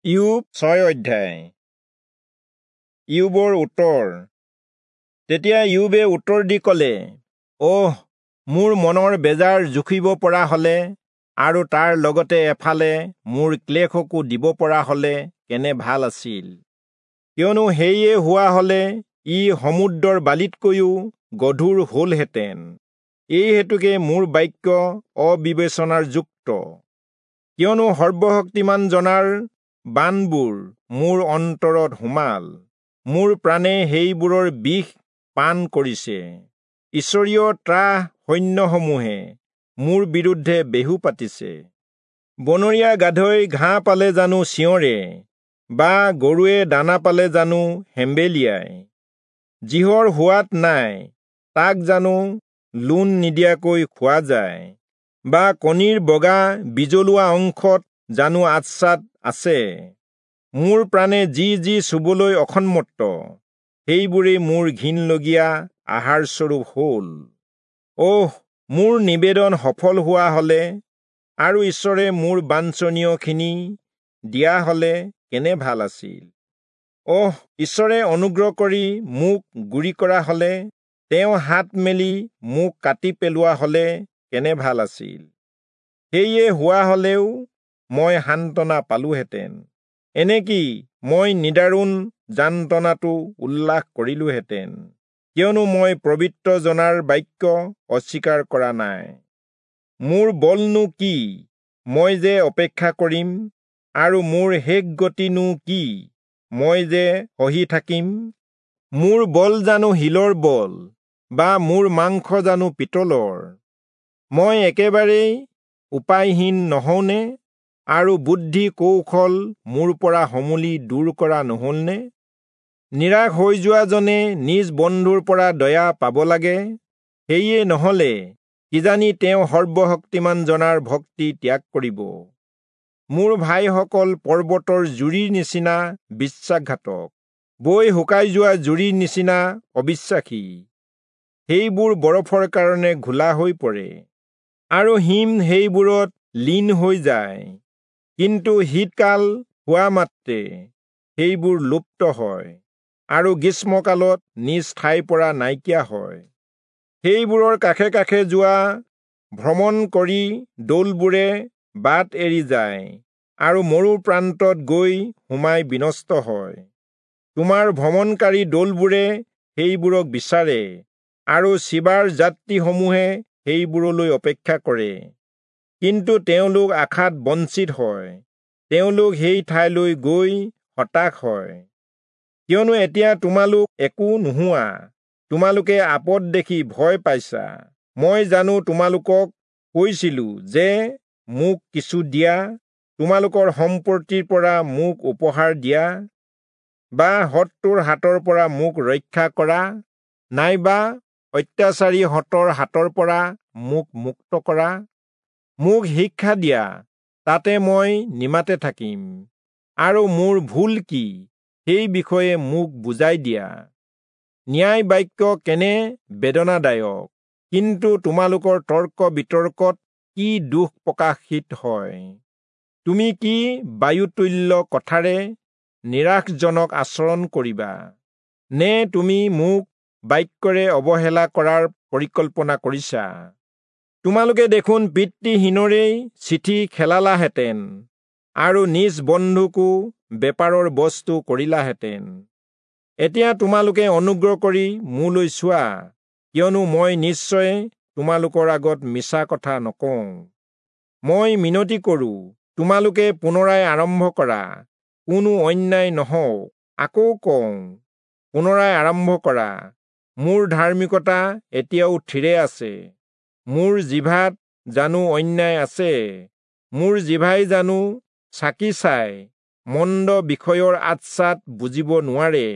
ইয়োব 6 অধ্যায়। ইয়োবৰ উত্তৰ। তেতিয়া ইয়োবে উত্তৰ দি ক'লে, অহ, মোৰ মনৰ বেজাৰ জুখিব পৰা হলে আৰু তাৰ লগতে এফালে মোৰ ক্লেশকো দিব পৰা হলে কেনে ভাল আছিল! কিয়নো সেয়ে হোৱা হলে ই সমুদ্ৰৰ বালিতকৈও গধুৰ হলহেঁতেন। এই হেতুকে মোৰ বাক্য অবিবেচনাৰ যুক্ত, কিয়নো সৰ্বশক্তিমান জনাৰ বানবোৰ মোৰ অন্তৰত সোমাল, মোৰ প্ৰাণে সেইবোৰৰ বিষ পান কৰিছে। ঈশ্বৰীয় ত্ৰাস সৈন্যসমূহে মোৰ বিৰুদ্ধে বেহু পাতিছে। বনৰীয়া গাধই ঘাঁহ পালে জানো চিঞৰে, বা গৰুৱে দানা পালে জানো হেম্বেলিয়ায়? যিহৰ সোৱাদ নাই তাক জানো লোণ নিদিয়াকৈ খোৱা যায়, বা কণীৰ বগা বিজলুৱা অংশত জানো আচ্ছাদ আছে? মোৰ প্ৰাণে যি যি চুবলৈ অসন্মত, সেইবোৰেই মোৰ ঘিণলগীয়া আহাৰস্বৰূপ হ'ল। অহ, মোৰ নিবেদন সফল হোৱা হলে আৰু ঈশ্বৰে মোৰ বাঞ্ছনীয়খিনি দিয়া হলে কেনে ভাল আছিল! অহ, ঈশ্বৰে অনুগ্ৰহ কৰি মোক গুৰি কৰা হলে, তেওঁ হাত মেলি মোক কাটি পেলোৱা হলে কেনে ভাল আছিল! সেয়ে হোৱা হলেও মই সান্তনা পালোহেঁতেন, এনেকি মই নিদাৰুণ যান্তনাটো উল্লাস কৰিলোহেঁতেন, কিয়নো মই পবিত্ৰ জনাৰ বাক্য অস্বীকাৰ কৰা নাই। মোৰ বলনো কি, মই যে অপেক্ষা কৰিম, আৰু মোৰ শেষ গতিনো কি, মই যে সহি থাকিম? মোৰ বল জানো শিলৰ বল, বা মোৰ মাংস জানো পিতলৰ? মই একেবাৰেই উপায়হীন নহওঁনে, আৰু বুদ্ধি কৌশল মোৰ পৰা সমূলি দূৰ কৰা নহলনে? নিৰাশ হৈ যোৱাজনে নিজ বন্ধুৰ পৰা দয়া পাব লাগে, সেয়ে নহলে কিজানি তেওঁ সৰ্বশক্তিমান জনাৰ ভক্তি ত্যাগ কৰিব। মোৰ ভাইসকল পৰ্বতৰ জুৰিৰ নিচিনা বিশ্বাসঘাতক, বৈ শুকাই যোৱা জুৰিৰ নিচিনা অবিশ্বাসী। সেইবোৰ বৰফৰ কাৰণে ঘোলা হৈ পৰে, আৰু হিম সেইবোৰত লীন হৈ যায়, কিন্তু শীতকাল হোৱা মাত্ৰে সেইবোৰ লুপ্ত হয়, আৰু গ্ৰীষ্মকালত নিজ ঠাইৰ পৰা নাইকিয়া হয়। সেইবোৰৰ কাষে কাষে যোৱা ভ্ৰমণ কৰি দৌলবোৰে বাট এৰি যায়, আৰু মৰু প্ৰান্তত গৈ সোমাই বিনষ্ট হয়। তোমাৰ ভ্ৰমণকাৰী দৌলবোৰে সেইবোৰক বিচাৰে, আৰু চিবাৰ যাত্ৰীসমূহে সেইবোৰলৈ অপেক্ষা কৰে, কিন্তু তেওঁলোক আশাত বঞ্চিত হয়, তেওঁলোক সেই ঠাইলৈ গৈ হতাশ হয়। কিয়নো এতিয়া তোমালোক একো নোহোৱা, তোমালোকে আপদ দেখি ভয় পাইছা। মই জানো তোমালোকক কৈছিলো যে মোক কিছু দিয়া, তোমালোকৰ সম্পত্তিৰ পৰা মোক উপহাৰ দিয়া, বা শত্ৰুৰ হাতৰ পৰা মোক ৰক্ষা কৰা, নাইবা অত্যাচাৰীহঁতৰ হাতৰ পৰা মোক মুক্ত কৰা? মোক শিক্ষা দিয়া, তাতে মই নিমাতে থাকিম, আৰু মোৰ ভুল কি সেই বিষয়ে মোক বুজাই দিয়া। ন্যায় বাক্য কেনে বেদনাদায়ক, কিন্তু তোমালোকৰ তৰ্ক বিতৰ্কত কি দুখ প্ৰকাশিত হয়! তুমি কি বায়ুতুল্য কথাৰে নিৰাশজনক আচৰণ কৰিবা, নে তুমি মোক বাক্যৰে অৱহেলা কৰাৰ পৰিকল্পনা কৰিছা? তোমালোকে দেখোন পিতৃহীনৰেই চিঠি খেলালাহেঁতেন, আৰু নিজ বন্ধুকো বেপাৰৰ বস্তু কৰিলাহেঁতেন। এতিয়া তোমালোকে অনুগ্ৰহ কৰি মোলৈ চোৱা, কিয়নো মই নিশ্চয় তোমালোকৰ আগত মিছা কথা নকওঁ। মই মিনতি কৰোঁ, তোমালোকে পুনৰাই আৰম্ভ কৰা, কোনো অন্যায় নহওক। আকৌ কওঁ, পুনৰাই আৰম্ভ কৰা। মোৰ ধাৰ্মিকতা এতিয়াও থিৰে আছে। মোৰ জিভাত জানো অন্যায় আছে? মোৰ জিভাই জানো চাকি চাই মন্দ বিষয়ৰ আচ্ছাদ বুজিব নোৱাৰে?